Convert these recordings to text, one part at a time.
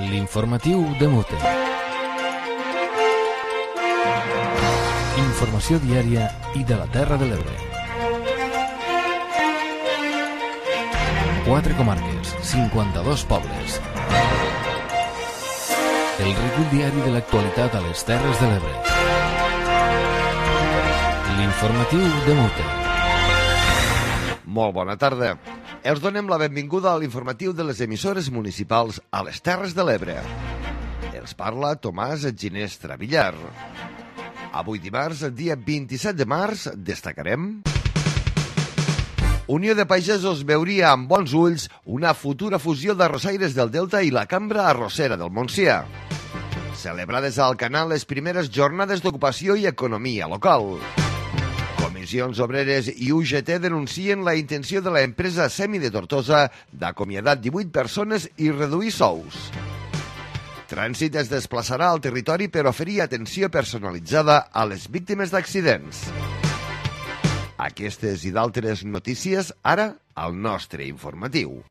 L'informatiu de Mute. Informació diària i de la Terra de l'Ebre. 4 comarques, 52 pobles. El recull diari de l'actualitat a les Terres de l'Ebre. L'informatiu de Mute. Molt bona tarda. Els donem la benvinguda a l'informatiu de les emissores municipals a les Terres de l'Ebre. Els parla Tomàs Ginestra Villar. Avui dimarts, dia 27 de març, destacarem... Unió de Pagesos veuria amb bons ulls una futura fusió d'arrossaires del Delta i la Cambra Arrossera del Montsià. Celebrades al Canal les primeres jornades d'ocupació i economia local. Comissions Obreres i UGT denuncien la intenció de l'empresa Semi de Tortosa d'acomiadar 18 persones i reduir sous. Trànsit es desplaçarà al territori per oferir atenció personalitzada a les víctimes d'accidents. Aquestes i d'altres notícies ara al nostre informatiu.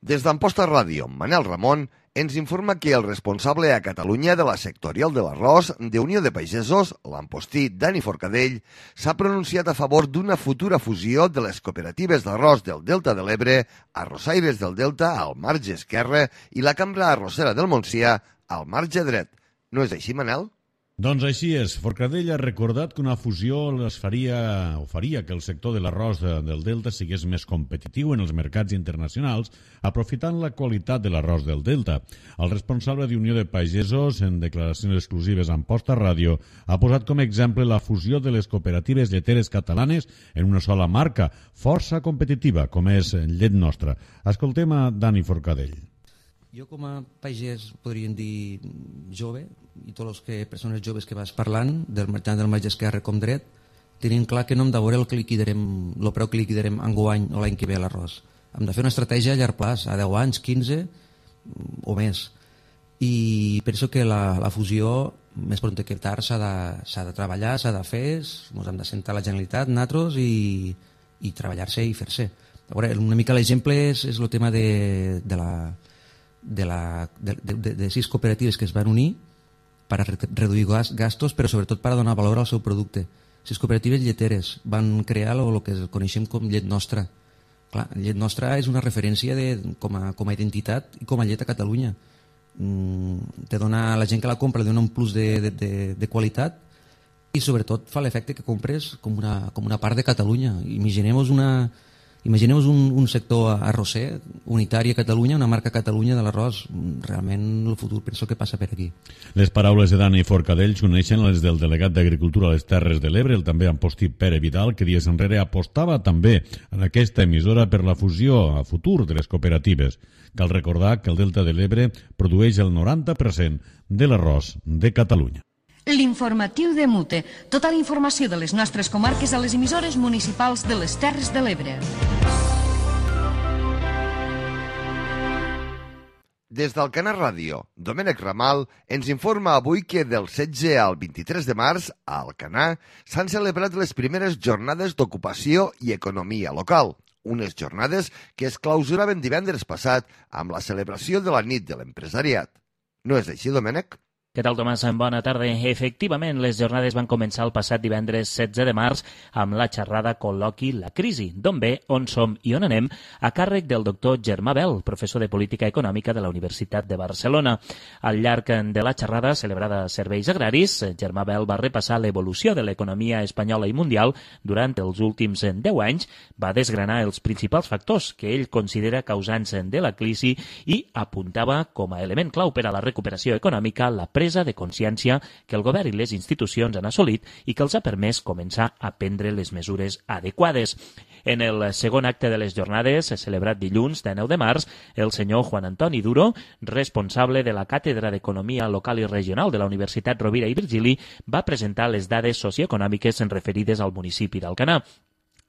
Des d'Amposta Ràdio, Manel Ramon ens informa que el responsable a Catalunya de la sectorial de l'arròs de Unió de Pagesos, l'ampostí Dani Forcadell, s'ha pronunciat a favor d'una futura fusió de les cooperatives d'arròs del Delta de l'Ebre, Arrossaires del Delta al marge esquerre i la Cambra Arrossera del Montsià al marge dret. No és així, Manel? Doncs així és. Forcadell ha recordat que una fusió faria que el sector de l'arròs del Delta sigués més competitiu en els mercats internacionals, aprofitant la qualitat de l'arròs del Delta. El responsable d'Unió de Pagesos, en declaracions exclusives a Amposta Ràdio, ha posat com a exemple la fusió de les cooperatives lleteres catalanes en una sola marca, força competitiva, com és Llet Nostra. Escoltem a Dani Forcadell. Jo com a pagès, podríem dir jove, i tots les persones joves que vas parlant, tant del marge esquerre com dret, tenint clar que no hem de veure el preu que liquidarem enguany o l'any que ve a l'arròs. Hem de fer una estratègia a llarg plaç, a 10 anys, 15 o més. I penso que la fusió, més pront que tard, s'ha de treballar, s'ha de fer, ens hem de sentar a la Generalitat, nosaltres, i treballar-se i fer-se. Una mica l'exemple és el tema de 6 cooperatives que es van unir per a reduir gastos, però sobretot per a donar valor al seu producte. 6 cooperatives lleteres van crear el que coneixem com Llet Nostra. Clar, Llet Nostra és una referència com a identitat i com a llet a Catalunya. Te dona, la gent que la compra li dona un plus de qualitat i sobretot fa l'efecte que compres com una part de Catalunya. Imaginem-vos un sector arrosser unitari a Catalunya, una marca Catalunya de l'arròs. Realment el futur penso que passa per aquí. Les paraules de Dani Forcadell s'uneixen les del delegat d'Agricultura a les Terres de l'Ebre, el també ampostí Pere Vidal, que dies enrere apostava també en aquesta emissora per la fusió a futur de les cooperatives. Cal recordar que el Delta de l'Ebre produeix el 90% de l'arròs de Catalunya. L'informatiu de Mute. Tota la informació de les nostres comarques a les emissores municipals de les Terres de l'Ebre. Des del Canal Ràdio, Domènec Ramal ens informa avui que del 16 al 23 de març a Alcanar s'han celebrat les primeres jornades d'ocupació i economia local. Unes jornades que es clausuraven divendres passat amb la celebració de la nit de l'empresariat. No és així, Domènec? Què tal, Tomàs? Bona tarda. Efectivament, les jornades van començar el passat divendres 16 de març amb la xerrada col·loqui La crisi, d'on ve, on som i on anem, a càrrec del doctor Germà Bel, professor de Política Econòmica de la Universitat de Barcelona. Al llarg de la xerrada, celebrada a Serveis Agraris, Germà Bel va repassar l'evolució de l'economia espanyola i mundial durant els últims 10 anys, va desgranar els principals factors que ell considera causants de la crisi i apuntava com a element clau per a la recuperació econòmica la presa de consciència que el govern i les institucions han assolit i que els ha permès començar a prendre les mesures adequades. En el segon acte de les jornades, celebrat dilluns de 9 de març, el senyor Juan Antoni Duro, responsable de la Càtedra d'Economia Local i Regional de la Universitat Rovira i Virgili, va presentar les dades socioeconòmiques referides al municipi d'Alcanar.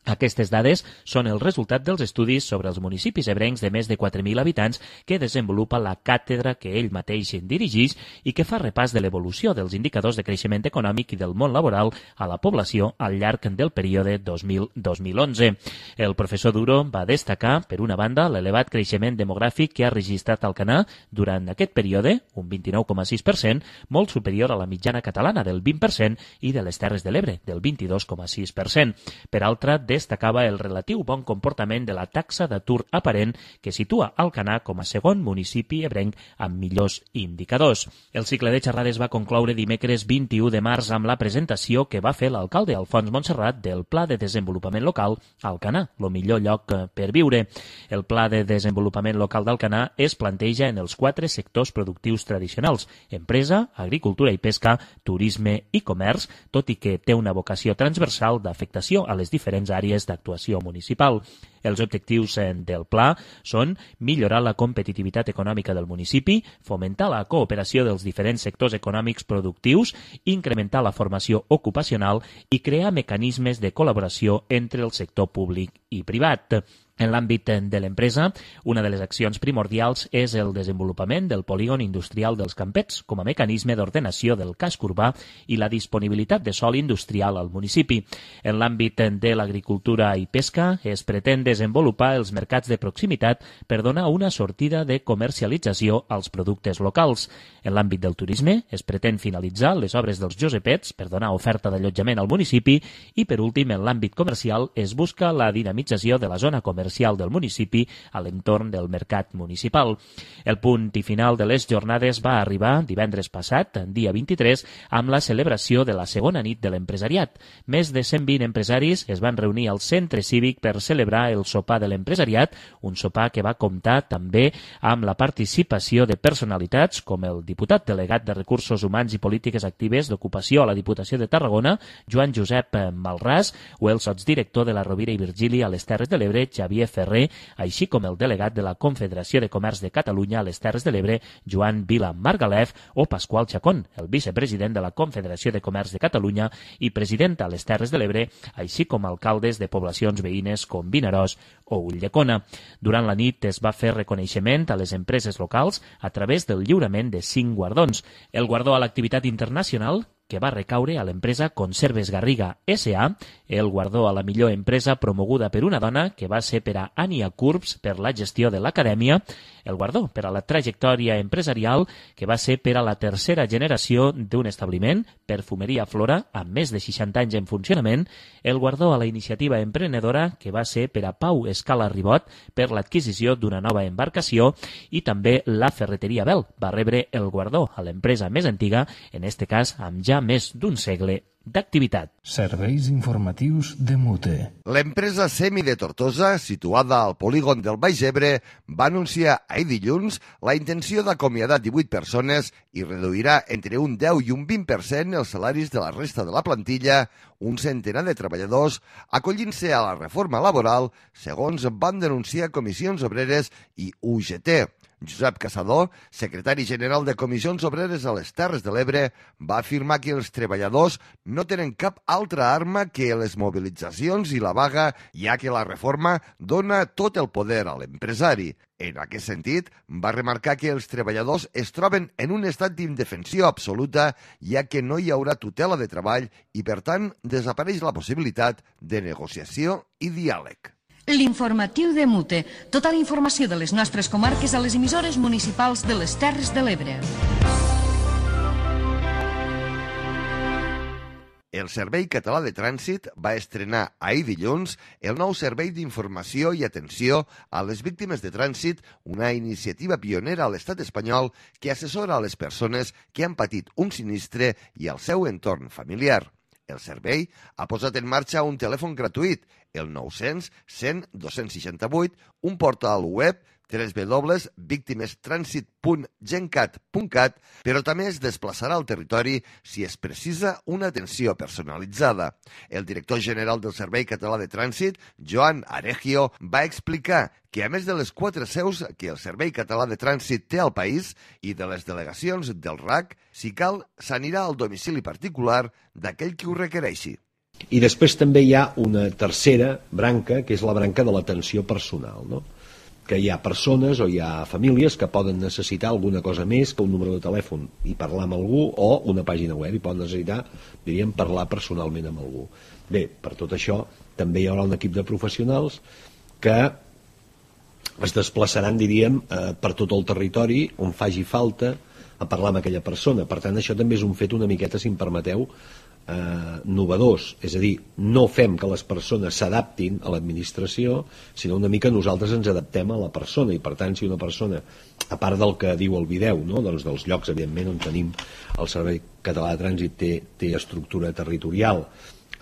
Aquestes dades són el resultat dels estudis sobre els municipis ebrencs de més de 4.000 habitants que desenvolupa la càtedra que ell mateix dirigeix i que fa repàs de l'evolució dels indicadors de creixement econòmic i del món laboral a la població al llarg del període 2000-2011. El professor Duro va destacar, per una banda, l'elevat creixement demogràfic que ha registrat Alcanar durant aquest període, un 29,6%, molt superior a la mitjana catalana del 20% i de les Terres de l'Ebre, del 22,6%. Per altra, destacava el relatiu bon comportament de la taxa d'atur aparent que situa Alcanar com a segon municipi ebrenc amb millors indicadors. El cicle de xerrades va concloure dimecres 21 de març amb la presentació que va fer l'alcalde Alfons Montserrat del Pla de Desenvolupament Local Alcanar, el millor lloc per viure. El Pla de Desenvolupament Local d'Alcanar es planteja en els 4 sectors productius tradicionals: empresa, agricultura i pesca, turisme i comerç, tot i que té una vocació transversal d'afectació a les diferents àrees d'actuació municipal. Els objectius del pla són millorar la competitivitat econòmica del municipi, fomentar la cooperació dels diferents sectors econòmics productius, incrementar la formació ocupacional i crear mecanismes de col·laboració entre el sector públic i privat. En l'àmbit de l'empresa, una de les accions primordials és el desenvolupament del polígon industrial dels Campets com a mecanisme d'ordenació del casc urbà i la disponibilitat de sòl industrial al municipi. En l'àmbit de l'agricultura i pesca, es pretén desenvolupar els mercats de proximitat per donar una sortida de comercialització als productes locals. En l'àmbit del turisme, es pretén finalitzar les obres dels Josepets per donar oferta d'allotjament al municipi i, per últim, en l'àmbit comercial, es busca la dinamització de la zona comercial del municipi a l'entorn del mercat municipal. El punt i final de les jornades va arribar divendres passat, dia 23, amb la celebració de la segona nit de l'empresariat. Més de 120 empresaris es van reunir al centre cívic per celebrar el sopar de l'empresariat, un sopar que va comptar també amb la participació de personalitats com el diputat delegat de Recursos Humans i Polítiques Actives d'Ocupació a la Diputació de Tarragona, Joan Josep Malràs, o el sotsdirector de la Rovira i Virgili a les Terres de l'Ebre, Xavier Ferrer, així com el delegat de la Confederació de Comerç de Catalunya a les Terres de l'Ebre, Joan Vila Margalef, o Pasqual Chacón, el vicepresident de la Confederació de Comerç de Catalunya i president a les Terres de l'Ebre, així com alcaldes de poblacions veïnes com Vinaròs o Ulldecona. Durant la nit es va fer reconeixement a les empreses locals a través del lliurament de 5 guardons. El guardó a l'activitat internacional, que va recaure a l'empresa Conserves Garriga S.A., el guardó a la millor empresa promoguda per una dona, que va ser per a Ania Curbs per la gestió de l'acadèmia, el guardó per a la trajectòria empresarial, que va ser per a la tercera generació d'un establiment, Perfumeria Flora, amb més de 60 anys en funcionament, el guardó a la iniciativa emprenedora, que va ser per a Pau Escala Ribot per l'adquisició d'una nova embarcació, i també la Ferreteria Bel va rebre el guardó a l'empresa més antiga, en este cas amb ja més d'un segle d'activitat. Serveis informatius de Mute. L'empresa Semi de Tortosa, situada al polígon del Baix Ebre, va anunciar ahir dilluns la intenció d'acomiadar 18 persones i reduirà entre un 10 i un 20% els salaris de la resta de la plantilla, un centenar de treballadors, acollint-se a la reforma laboral, segons van denunciar Comissions Obreres i UGT. Josep Caçador, secretari general de Comissions Obreres a les Terres de l'Ebre, va afirmar que els treballadors no tenen cap altra arma que les mobilitzacions i la vaga, ja que la reforma dona tot el poder a l'empresari. En aquest sentit, va remarcar que els treballadors es troben en un estat d'indefensió absoluta, ja que no hi haurà tutela de treball i, per tant, desapareix la possibilitat de negociació i diàleg. L'informatiu de Mute. Tota la informació de les nostres comarques a les emissores municipals de les Terres de l'Ebre. El Servei Català de Trànsit va estrenar ahir dilluns el nou servei d'informació i atenció a les víctimes de trànsit, una iniciativa pionera a l'estat espanyol que assessora a les persones que han patit un sinistre i al seu entorn familiar. El servei ha posat en marxa un telèfon gratuït, el 900 100 268, un portal web www.victimestrànsit.gencat.cat, però també es desplaçarà al territori si es precisa una atenció personalitzada. El director general del Servei Català de Trànsit, Joan Aregio, va explicar que a més de les 4 seus que el Servei Català de Trànsit té al país i de les delegacions del RAC, si cal, s'anirà al domicili particular d'aquell qui ho requereixi. I després també hi ha una tercera branca, que és la branca de l'atenció personal, no? Que hi ha persones o hi ha famílies que poden necessitar alguna cosa més que un número de telèfon i parlar amb algú, o una pàgina web, i poden necessitar, diríem, parlar personalment amb algú. Bé, per tot això també hi haurà un equip de professionals que es desplaçaran, diríem, per tot el territori on faci falta a parlar amb aquella persona. Per tant, això també és un fet una miqueta, si em permeteu, novedós, és a dir, no fem que les persones s'adaptin a l'administració, sinó una mica nosaltres ens adaptem a la persona, i per tant, si una persona, a part del que diu el vídeo, no? Doncs dels llocs, evidentment, on tenim el Servei Català de Trànsit té estructura territorial,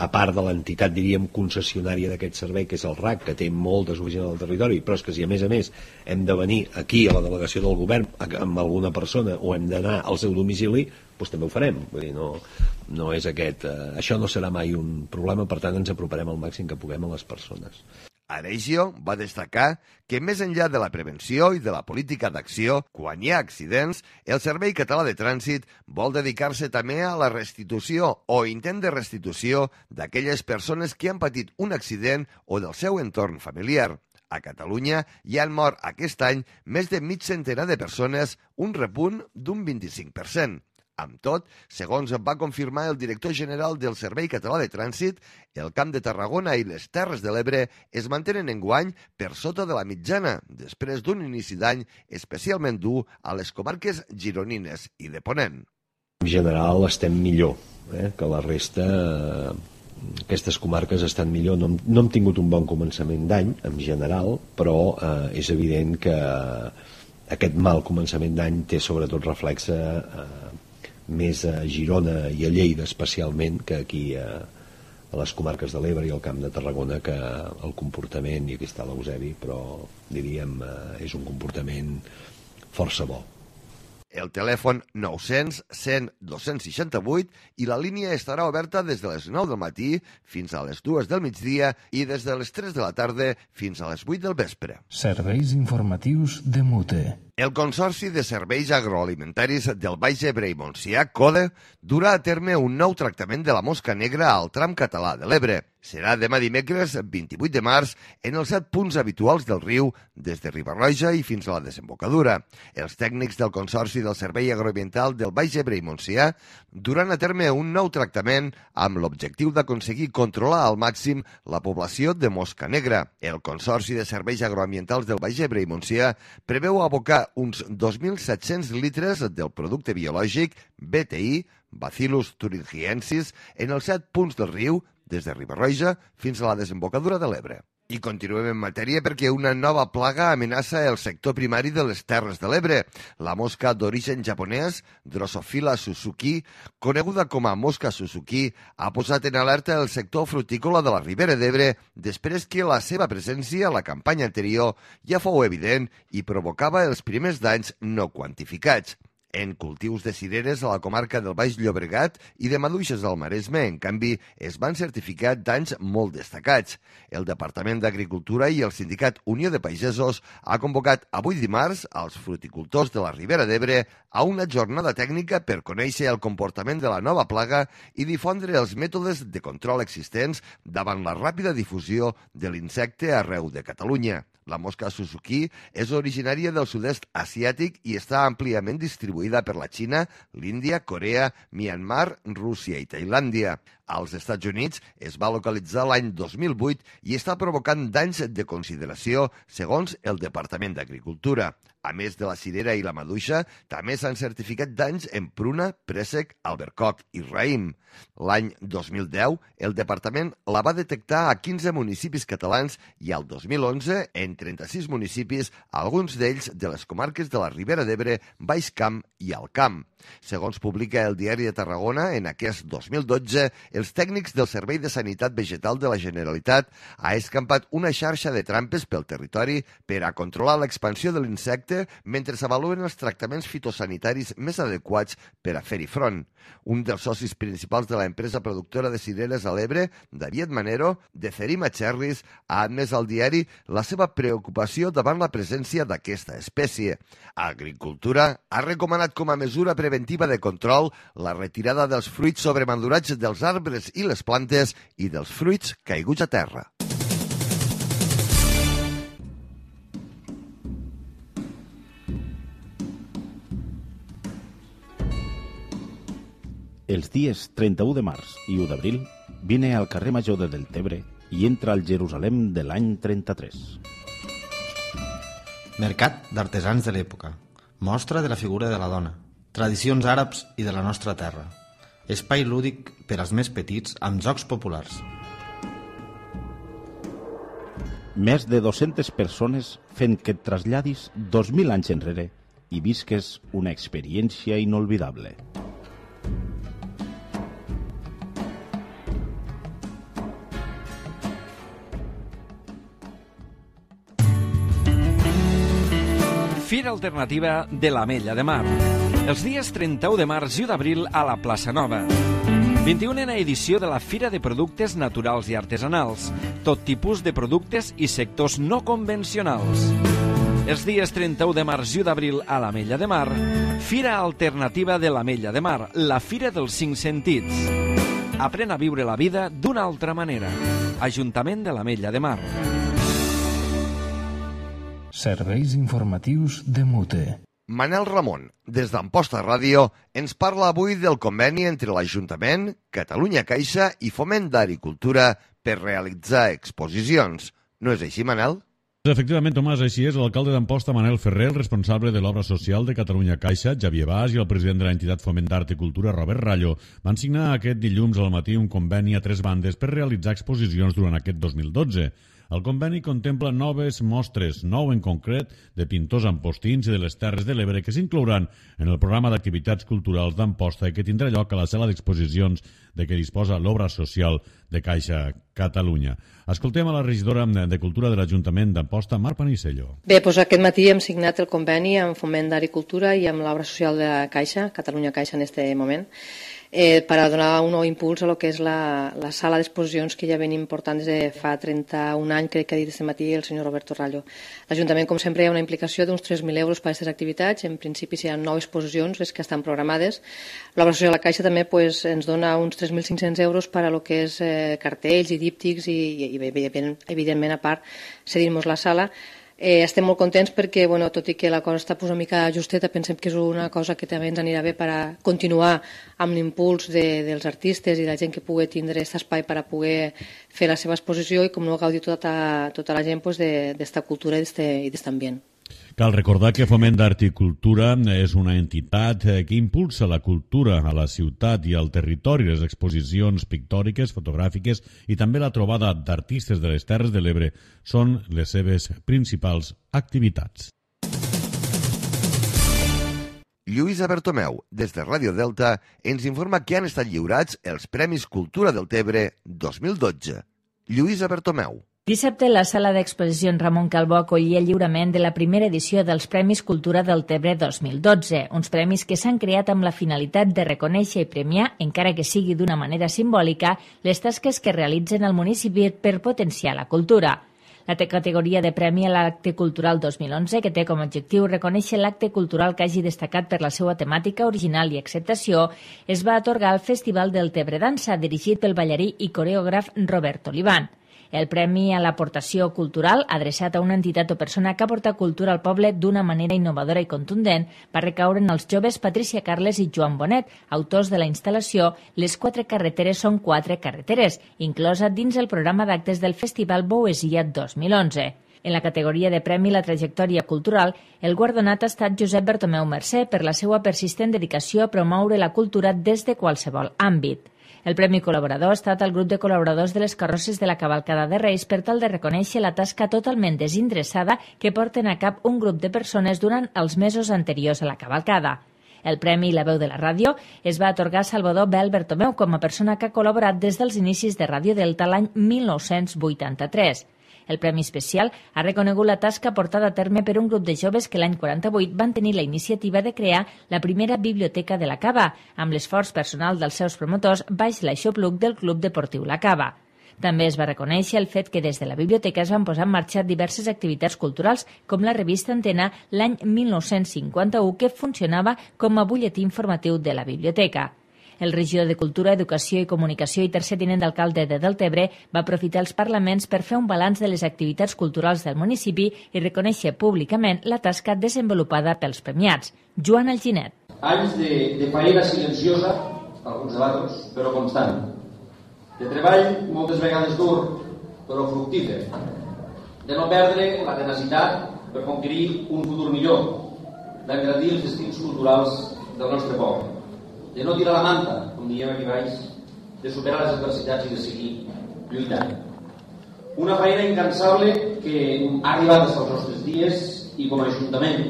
a part de l'entitat, diríem, concessionària d'aquest servei, que és el RAC, que té moltes oficines al territori, però és que si a més hem de venir aquí a la delegació del govern amb alguna persona o hem d'anar al seu domicili, doncs també ho farem. Vull dir, no és aquest... això no serà mai un problema, per tant ens aproparem al màxim que puguem a les persones. Aregio va destacar que més enllà de la prevenció i de la política d'acció, quan hi ha accidents, el Servei Català de Trànsit vol dedicar-se també a la restitució o intent de restitució d'aquelles persones que han patit un accident o del seu entorn familiar. A Catalunya hi han mort aquest any més de mig centenar de persones, un repunt d'un 25%. Amb tot, segons va confirmar el director general del Servei Català de Trànsit, el Camp de Tarragona i les Terres de l'Ebre es mantenen enguany per sota de la mitjana, després d'un inici d'any especialment dur a les comarques gironines i de Ponent. En general estem millor que la resta. Aquestes comarques estan millor. No hem tingut un bon començament d'any, en general, però és evident que aquest mal començament d'any té sobretot reflexe més a Girona i a Lleida especialment que aquí a les comarques de l'Ebre i al Camp de Tarragona, que el comportament, i aquí està l'Eusebi, però diríem és un comportament força bo. El telèfon 900 100 268 i la línia estarà oberta des de les 9 del matí fins a les 2 del migdia i des de les 3 de la tarda fins a les 8 del vespre. Serveis informatius de Mute. El Consorci de Serveis Agroalimentaris del Baix Ebre i Montsià, CODE, durà a terme un nou tractament de la mosca negra al tram català de l'Ebre. Serà demà dimecres 28 de març en els 7 punts habituals del riu, des de Riba-roja i fins a la desembocadura. Els tècnics del Consorci del Servei Agroambiental del Baix Ebre i Montsià duran a terme un nou tractament amb l'objectiu d'aconseguir controlar al màxim la població de mosca negra. El Consorci de Serveis Agroambientals del Baix Ebre i Montsià preveu abocar uns 2.700 litres del producte biològic BTI, Bacillus thuringiensis, en els 7 punts del riu, des de Riba-roja fins a la desembocadura de l'Ebre. I continuem en matèria perquè una nova plaga amenaça el sector primari de les Terres de l'Ebre. La mosca d'origen japonès, Drosophila suzuki, coneguda com a mosca Suzuki, ha posat en alerta el sector frutícola de la Ribera d'Ebre després que la seva presència a la campanya anterior ja fou evident i provocava els primers danys no quantificats. En cultius de cireres a la comarca del Baix Llobregat i de maduixes al Maresme, en canvi, es van certificar danys molt destacats. El Departament d'Agricultura i el Sindicat Unió de Pagesos ha convocat avui dimarts als fruticultors de la Ribera d'Ebre a una jornada tècnica per conèixer el comportament de la nova plaga i difondre els mètodes de control existents davant la ràpida difusió de l'insecte arreu de Catalunya. La mosca Suzuki és originària del sud-est asiàtic i està àmpliament distribuïda per la Xina, l'Índia, Corea, Myanmar, Rússia i Tailàndia. Als Estats Units es va localitzar l'any 2008 i està provocant danys de consideració, segons el Departament d'Agricultura. A més de la cirera i la maduixa, també s'han certificat danys en pruna, préssec, albercoc i raïm. L'any 2010, el departament la va detectar a 15 municipis catalans i al 2011 en 36 municipis, alguns d'ells de les comarques de la Ribera d'Ebre, Baix Camp i Alt Camp. Segons publica el Diari de Tarragona, en aquest 2012, els tècnics del Servei de Sanitat Vegetal de la Generalitat ha escampat una xarxa de trampes pel territori per a controlar l'expansió de l'insecte mentre s'avaluen els tractaments fitosanitaris més adequats per a fer-hi front. Un dels socis principals de l'empresa productora de cireres a l'Ebre, David Manero, de Cerima Cherries, ha admès al diari la seva preocupació davant la presència d'aquesta espècie. Agricultura ha recomanat com a mesura preventiva de control la retirada dels fruits sobremadurats dels arbres arbres i les plantes i dels fruits caiguts a terra. Els dies 31 de març i 1 d'abril vine al carrer Major de Deltebre i entra al Jerusalem de l'any 33. Mercat d'artesans de l'època. Mostra de la figura de la dona. Tradicions àrabs i de la nostra terra. Espai lúdic per als més petits amb jocs populars. Més de 200 persones fent que et traslladis 2.000 anys enrere i visques una experiència inolvidable. Fira Alternativa de l'Ametlla de Mar. Els dies 31 de març i 1 d'abril a la Plaça Nova. 21a edició de la Fira de Productes Naturals i Artesanals. Tot tipus de productes i sectors no convencionals. Els dies 31 de març i 1 d'abril a l'Ametlla de Mar. Fira Alternativa de l'Ametlla de Mar. La Fira dels 5 sentits. Aprèn a viure la vida d'una altra manera. Ajuntament de l'Ametlla de Mar. Serveis informatius de Mute. Manel Ramon, des d'Amposta Ràdio, ens parla avui del conveni entre l'Ajuntament, Catalunya Caixa i Foment d'Agricultura per realitzar exposicions. No és així, Manel? Efectivament, Tomàs, així és. L'alcalde d'Amposta, Manel Ferrer, el responsable de l'obra social de Catalunya Caixa, Xavier Bas, i el president de l'entitat Foment d'Art i Cultura, Robert Rallo, van signar aquest dilluns al matí un conveni a 3 bandes per realitzar exposicions durant aquest 2012. El conveni contempla noves mostres, 9 en concret, de pintors ampostins i de les Terres de l'Ebre, que s'inclouran en el programa d'activitats culturals d'Amposta i que tindrà lloc a la sala d'exposicions de què disposa l'obra social de Caixa Catalunya. Escoltem a la regidora de Cultura de l'Ajuntament d'Amposta, Mar Panisello. Bé, doncs aquest matí hem signat el conveni amb Foment d'Art i Cultura i amb l'obra social de Caixa, Catalunya Caixa en aquest moment, per a donar un nou impuls a lo que és la sala d'exposicions que ja venim portant des de fa 31 anys, crec que ha dit aquest matí el senyor Roberto Rallo. L'Ajuntament, com sempre, hi ha una implicació d'uns 3.000 euros per a aquestes activitats. En principi seran 9 exposicions les que estan programades. L'obra social de la Caixa també ens dona uns 3.500 euros per a lo que és cartells i díptics i evidentment, a part, cedir-nos la sala. Estem molt contents perquè, tot i que la cosa està una mica justeta, pensem que és una cosa que també ens anirà bé per a continuar amb l'impuls dels artistes i de la gent que pugui tindre aquest espai per a poder fer la seva exposició i com no gaudir tota la gent d'esta cultura i d'aquest ambient. Cal recordar que Foment d'Art i Cultura és una entitat que impulsa la cultura a la ciutat i al territori, les exposicions pictòriques, fotogràfiques i també la trobada d'artistes de les Terres de l'Ebre són les seves principals activitats. Lluïsa Bertomeu, des de Ràdio Delta, ens informa que han estat lliurats els Premis Cultura del Tebre 2012. Lluïsa Bertomeu. Dissabte, la sala d'exposicions Ramon Calbó acollia el lliurament de la primera edició dels Premis Cultura del Tebre 2012, uns premis que s'han creat amb la finalitat de reconèixer i premiar, encara que sigui d'una manera simbòlica, les tasques que realitzen al municipi per potenciar la cultura. La categoria de premi a l'acte cultural 2011, que té com a objectiu reconèixer l'acte cultural que hagi destacat per la seva temàtica original i acceptació, es va atorgar al Festival del Tebre Dansa, dirigit pel ballarí i coreògraf Robert Olivan. El premi a l'aportació cultural, adreçat a una entitat o persona que aporta cultura al poble d'una manera innovadora i contundent, va recaure en els joves Patricia Carles i Joan Bonet, autors de la instal·lació Les 4 carreteres són 4 carreteres, inclosa dins el programa d'actes del Festival Boesia 2011. En la categoria de premi La trajectòria cultural, el guardonat ha estat Josep Bertomeu Mercè per la seva persistent dedicació a promoure la cultura des de qualsevol àmbit. El Premi Col·laborador ha estat el grup de col·laboradors de les carrosses de la cavalcada de Reis per tal de reconèixer la tasca totalment desinteressada que porten a cap un grup de persones durant els mesos anteriors a la cavalcada. El Premi La Veu de la Ràdio es va atorgar a Salvador Bel Bertomeu com a persona que ha col·laborat des dels inicis de Ràdio Delta l'any 1983. El Premi Especial ha reconegut la tasca portada a terme per un grup de joves que l'any 48 van tenir la iniciativa de crear la primera biblioteca de la Cava, amb l'esforç personal dels seus promotors baix l'aixopluc del Club Deportiu La Cava. També es va reconèixer el fet que des de la biblioteca es van posar en marxa diverses activitats culturals, com la revista Antena l'any 1951, que funcionava com a butlletí informatiu de la biblioteca. El regidor de Cultura, Educació i Comunicació i tercer tinent d'alcalde de Deltebre va aprofitar els parlaments per fer un balanç de les activitats culturals del municipi i reconèixer públicament la tasca desenvolupada pels premiats. Joan Alginet. Anys de feina silenciosa, alguns debatos, però constant. De treball, moltes vegades dur, però fructífer. De no perdre la tenacitat per conquerir un futur millor, d'engrandir els destins culturals del nostre poble. De no tirar la manta, com diem aquí baix, de superar les adversitats i de seguir lluitant. Una feina incansable que ha arribat als nostres dies i com a Ajuntament,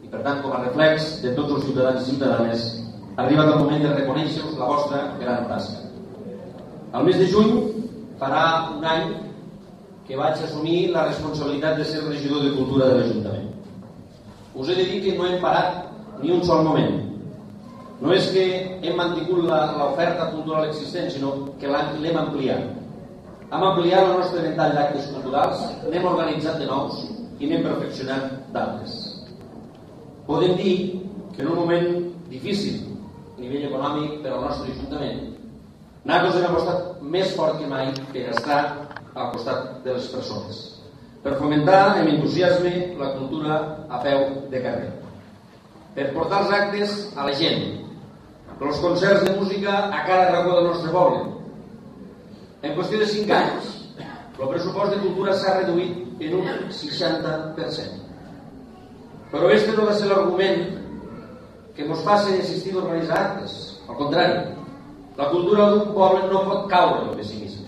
i per tant com a reflex de tots els ciutadans i ciutadanes, ha arribat el moment de reconèixer-vos la vostra gran tasca. Al mes de juny farà un any que vaig assumir la responsabilitat de ser regidor de Cultura de l'Ajuntament. Us he de dir que no hem parat ni un sol moment. No és que hem mantingut l'oferta cultural existent, sinó que l'hem ampliat. Hem ampliat el nostre ventall d'actes culturals, n'hem organitzat de nous i n'hem perfeccionat d'altres. Podem dir que en un moment difícil a nivell econòmic per al nostre Ajuntament, nosaltres hem apostat més fort que mai per estar al costat de les persones, per fomentar amb entusiasme la cultura a peu de carrer, per portar els actes a la gent, els concerts de música a cada racó del nostre poble. En qüestió de 5 anys, el pressupost de cultura s'ha reduït en un 60%. Però este no ha de ser l'argument que ens faci desistir d'organitzar actes. Al contrari, la cultura d'un poble no pot caure en el pessimisme.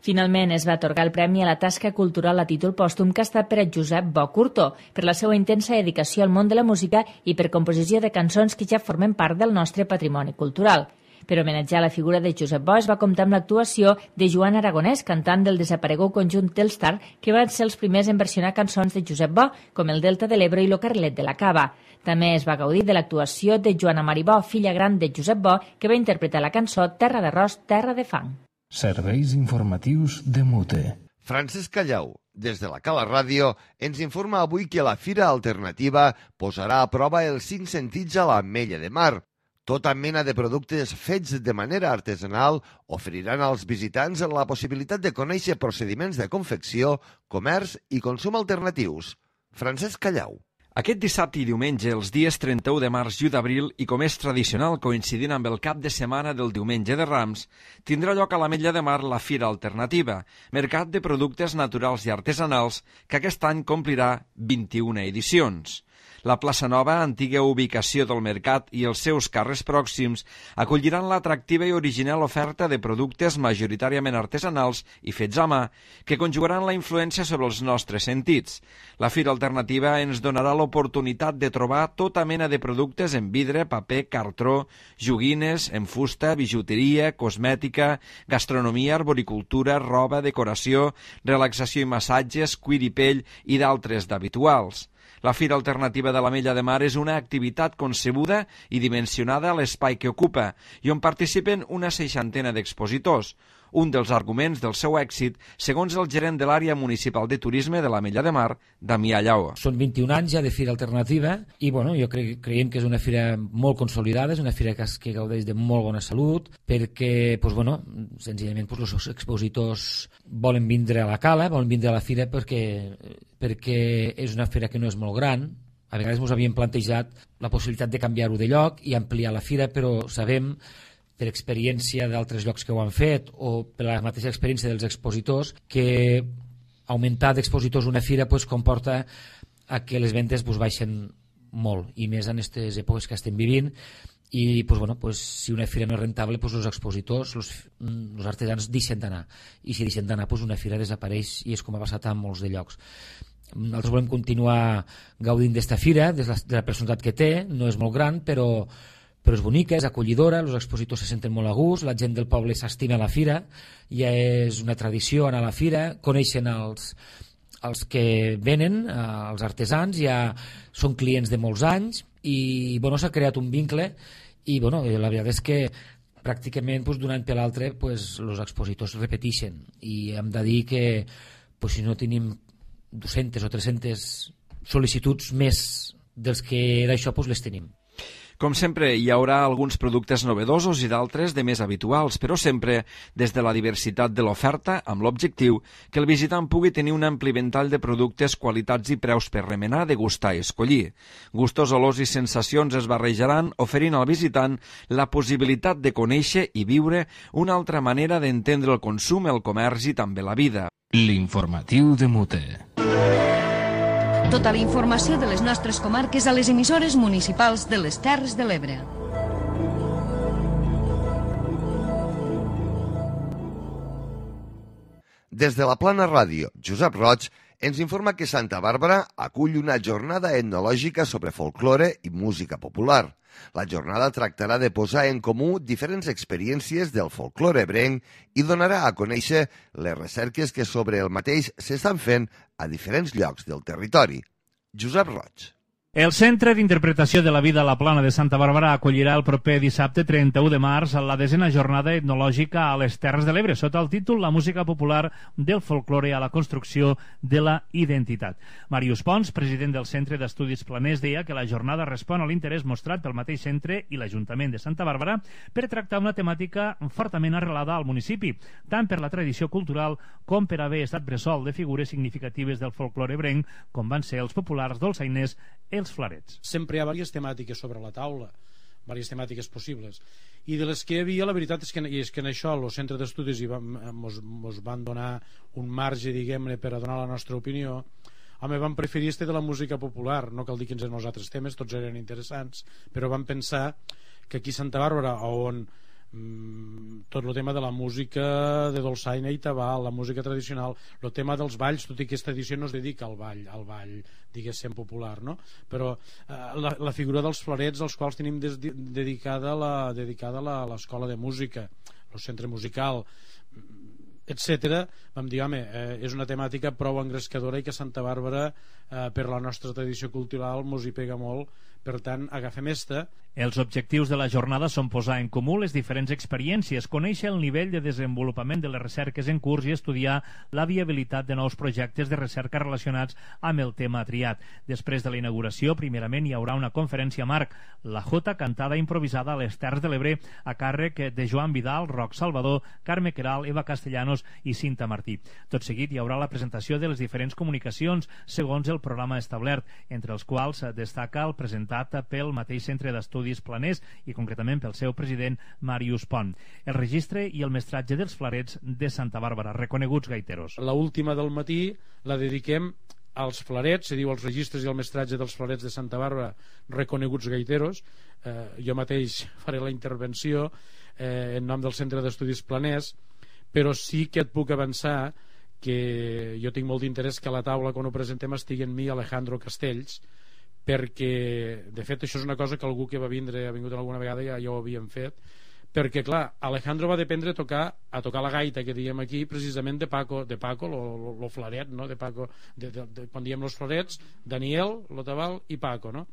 Finalment es va atorgar el premi a la tasca cultural a títol pòstum que ha estat per a Josep Bo Curto, per la seva intensa dedicació al món de la música i per composició de cançons que ja formen part del nostre patrimoni cultural. Per homenatjar la figura de Josep Bo es va comptar amb l'actuació de Joan Aragonès, cantant del desaparegut conjunt Telstar, que van ser els primers en versionar cançons de Josep Bo, com el Delta de l'Ebre i lo Carlet de la Cava. També es va gaudir de l'actuació de Joana Maribó, filla gran de Josep Bo, que va interpretar la cançó Terra d'arròs, terra de fang. Serveis informatius de Mute. Francesc Callau, des de la Cala Ràdio, ens informa avui que la Fira Alternativa posarà a prova els 5 sentits a l'Ametlla de Mar. Tota mena de productes fets de manera artesanal oferiran als visitants la possibilitat de conèixer procediments de confecció, comerç i consum alternatius. Francesc Callau. Aquest dissabte i diumenge, els dies 31 de març i 1 d'abril, i com és tradicional coincidint amb el cap de setmana del diumenge de Rams, tindrà lloc a l'Ametlla de Mar la Fira Alternativa, mercat de productes naturals i artesanals, que aquest any complirà 21 edicions. La plaça Nova, antiga ubicació del mercat, i els seus carrers pròxims acolliran l'atractiva i original oferta de productes majoritàriament artesanals i fets a mà, que conjugaran la influència sobre els nostres sentits. La Fira Alternativa ens donarà l'oportunitat de trobar tota mena de productes en vidre, paper, cartró, joguines, en fusta, bijuteria, cosmètica, gastronomia, arboricultura, roba, decoració, relaxació i massatges, cuir i pell i d'altres d'habituals. La Fira Alternativa de l'Ametlla de Mar és una activitat concebuda i dimensionada a l'espai que ocupa i on participen una 60 d'expositors. Un dels arguments del seu èxit, segons el gerent de l'àrea municipal de turisme de l'Ametlla de Mar, Damià Llaó. Són 21 anys ja de Fira Alternativa i jo creiem que és una fira molt consolidada, és una fira que gaudeix de molt bona salut, perquè senzillament els expositors volen vindre a la cala, volen vindre a la fira perquè és una fira que no és molt gran. A vegades ens havíem plantejat la possibilitat de canviar-ho de lloc i ampliar la fira, però sabem per experiència d'altres llocs que ho han fet o per la mateixa experiència dels expositors que augmentar d'expositors una fira comporta que les ventes baixen molt, i més en aquestes èpoques que estem vivint, i si una fira no és rentable, els expositors, els artesans deixen d'anar, i si deixen d'anar una fira desapareix, i és com ha passat en molts de llocs. Nosaltres volem continuar gaudint d'esta fira, de la personalitat que té, no és molt gran, però és bonica, és acollidora, els expositors se senten molt a gust, la gent del poble s'estima a la fira, ja és una tradició anar a la fira, coneixen els que venen, els artesans, ja són clients de molts anys, i s'ha creat un vincle, i la veritat és que pràcticament d'un any per l'altre els expositors repeteixen, i hem de dir que si no tenim 200 o 300 sol·licituds més dels que d'això les tenim. Com sempre, hi haurà alguns productes novedosos i d'altres de més habituals, però sempre des de la diversitat de l'oferta, amb l'objectiu que el visitant pugui tenir un ampli ventall de productes, qualitats i preus per remenar, degustar i escollir. Gustos, olors i sensacions es barrejaran, oferint al visitant la possibilitat de conèixer i viure una altra manera d'entendre el consum, el comerç i també la vida. L'informatiu de Mute. Tota la informació de les nostres comarques a les emissores municipals de les Terres de l'Ebre. Des de la Plana Ràdio, Josep Roig ens informa que Santa Bàrbara acull una jornada etnològica sobre folklore i música popular. La jornada tractarà de posar en comú diferents experiències del folklore ebrenc i donarà a conèixer les recerques que sobre el mateix s'estan fent a diferents llocs del territori. Josep Roig. El Centre d'Interpretació de la Vida a la Plana de Santa Bàrbara acollirà el proper dissabte 31 de març la 10a jornada etnològica a les Terres de l'Ebre, sota el títol La música popular del folklore a la construcció de la identitat. Màrius Pons, president del Centre d'Estudis Planers, deia que la jornada respon a l'interès mostrat pel mateix centre i l'Ajuntament de Santa Bàrbara per tractar una temàtica fortament arrelada al municipi, tant per la tradició cultural com per haver estat bressol de figures significatives del folklore ebrenc, com van ser els populars dolçainers, els flarets. Sempre hi ha diverses temàtiques sobre la taula, diverses temàtiques possibles, i de les que hi havia, la veritat és que en això el centre d'estudis mos van donar un marge, diguem-ne, per a donar la nostra opinió. Home, vam preferir de la música popular, no cal dir quins eren els altres temes, tots eren interessants, però vam pensar que aquí a Santa Bàrbara, on tot el tema de la música de dolçaina i tabal, la música tradicional, el tema dels balls, tot i que aquesta edició no es dedica al ball diguéssim popular, no? Però la figura dels flarets, als quals tenim dedicada l'escola de música, el centre musical, etc. Vam dir, home, és una temàtica prou engrescadora i que Santa Bàrbara, per la nostra tradició cultural, mos hi pega molt. Per tant, agafem esta. Els objectius de la jornada són posar en comú les diferents experiències, conèixer el nivell de desenvolupament de les recerques en curs i estudiar la viabilitat de nous projectes de recerca relacionats amb el tema triat. Després de la inauguració, primerament hi haurà una conferència marc, la Jota cantada improvisada a les Terres de l'Ebre, a càrrec de Joan Vidal, Roc Salvador, Carme Queralt, Eva Castellanos i Cinta Martí. Tot seguit hi haurà la presentació de les diferents comunicacions segons el programa establert, entre els quals destaca el presentat pel mateix Centre d'Estudis Planers i concretament pel seu president Màrius Pont. El registre i el mestratge dels flarets de Santa Bàrbara, reconeguts gaiteros. La última del matí la dediquem als flarets, se diu els registres i el mestratge dels flarets de Santa Bàrbara, reconeguts gaiteros. Jo mateix faré la intervenció en nom del Centre d'Estudis Planers, però sí que et puc avançar que jo tinc molt d'interès que a la taula, quan ho presentem, estigui en mi Alejandro Castells, perquè, de fet, això és una cosa que algú que ha vingut alguna vegada ja ho havíem fet, perquè, clar, Alejandro va dependre a tocar la gaita, que diem aquí, precisament de Paco, lo flaret, no? De Paco, quan diem los flarets, Daniel, lo tabal i Paco, no?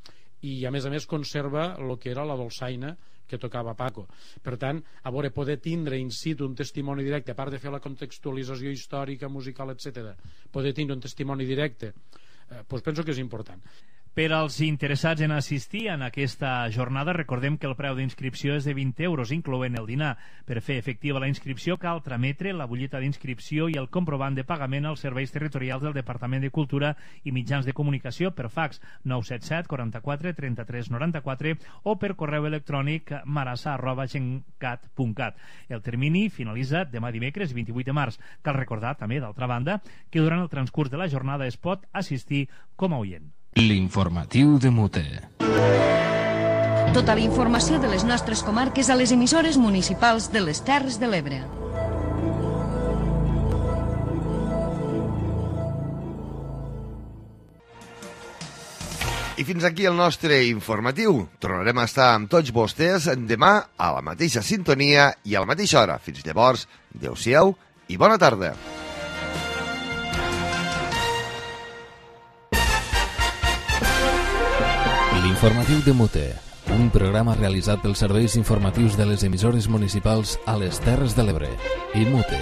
I a més conserva el que era la dolçaina que tocava Paco. Per tant, a veure, poder tindre in situ un testimoni directe, a part de fer la contextualització històrica, musical, etc., poder tindre un testimoni directe, doncs penso que és important. Per als interessats en assistir en aquesta jornada, recordem que el preu d'inscripció és de 20 euros, incloent el dinar. Per fer efectiva la inscripció cal trametre la butlleta d'inscripció i el comprovant de pagament als serveis territorials del Departament de Cultura i Mitjans de Comunicació per fax 977 44 33 94 o per correu electrònic marassa@gencat.cat. El termini finalitza demà dimecres 28 de març. Cal recordar també, d'altra banda, que durant el transcurs de la jornada es pot assistir com a oient. L'informatiu de Mute. Tota la informació de les nostres comarques a les emissores municipals de les Terres de l'Ebre. I fins aquí el nostre informatiu. Tornarem a estar amb tots vostès demà a la mateixa sintonia i a la mateixa hora. Fins llavors, adeu-siau i bona tarda. L'informatiu de Mute, un programa realitzat pels serveis informatius de les emissores municipals a les Terres de l'Ebre i Mute.